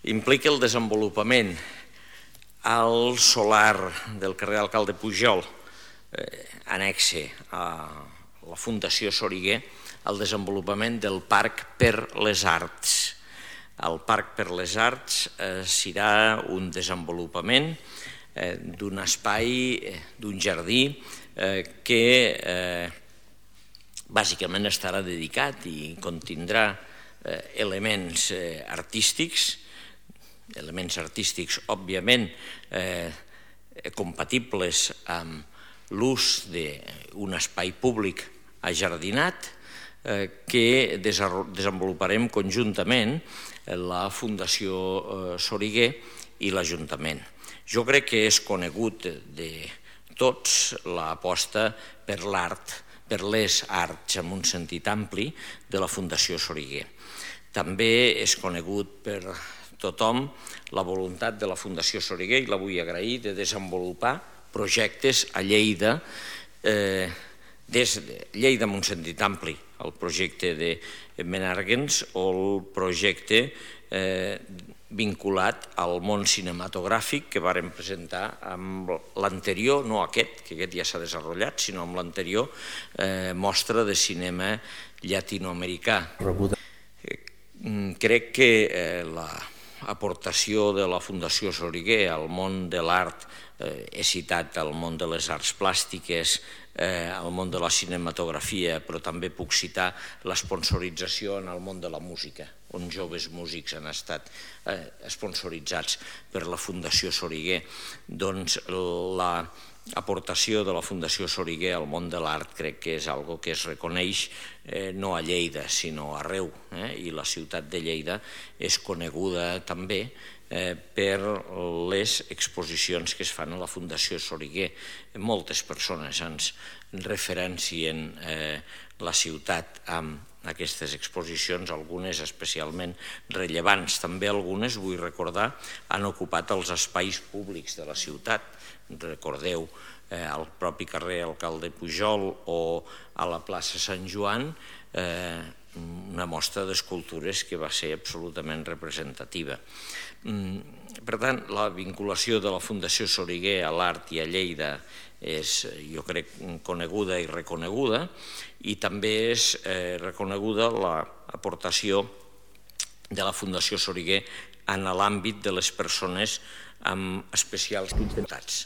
implica el desenvolupament al solar del carrer Alcalde Pujol, annexe a la Fundació Soriguer, el desenvolupament del Parc per les Arts. El Parc per les Arts serà un desenvolupament d'un espai, d'un jardí, que bàsicament estarà dedicat i contindrà elements artístics, òbviament compatibles amb l'ús d'un espai públic ajardinat que desenvoluparem conjuntament la Fundació Soriguer i l'Ajuntament. Jo crec que és conegut de tots l'aposta per l'art, per les arts en un sentit ampli de la Fundació Soriguer. També és conegut per tothom la voluntat de la Fundació Soriguer, i la vull agrair, de desenvolupar projectes a Lleida, des de Lleida en un sentit ampli, el projecte de Menàrguens o el projecte vinculat al món cinematogràfic que vàrem presentar amb l'anterior, no aquest, que aquest ja s'ha desenvolupat, sinó amb l'anterior mostra de cinema llatinoamericà. Crec que l'aportació de la Fundació Soriguer al món de l'art, he citat el món de les arts plàstiques, el món de la cinematografia, però també puc citar l'esponsorització en el món de la música, on joves músics han estat esponsoritzats per la Fundació Soriguer. Doncs l'aportació de la Fundació Soriguer al món de l'art crec que és algo que es reconeix no a Lleida, sinó arreu, i la ciutat de Lleida és coneguda també per les exposicions que es fan a la Fundació Soriguer. Moltes persones ens referencien la ciutat amb aquestes exposicions, algunes especialment rellevants. També algunes, vull recordar, han ocupat els espais públics de la ciutat. Recordeu al propi carrer Alcalde Pujol o a la plaça Sant Joan, una mostra d'escultures que va ser absolutament representativa. Per tant, la vinculació de la Fundació Soriguer a l'art i a Lleida és, jo crec, coneguda i reconeguda, i també és reconeguda l'aportació de la Fundació Soriguer en l'àmbit de les persones amb especials dificultats.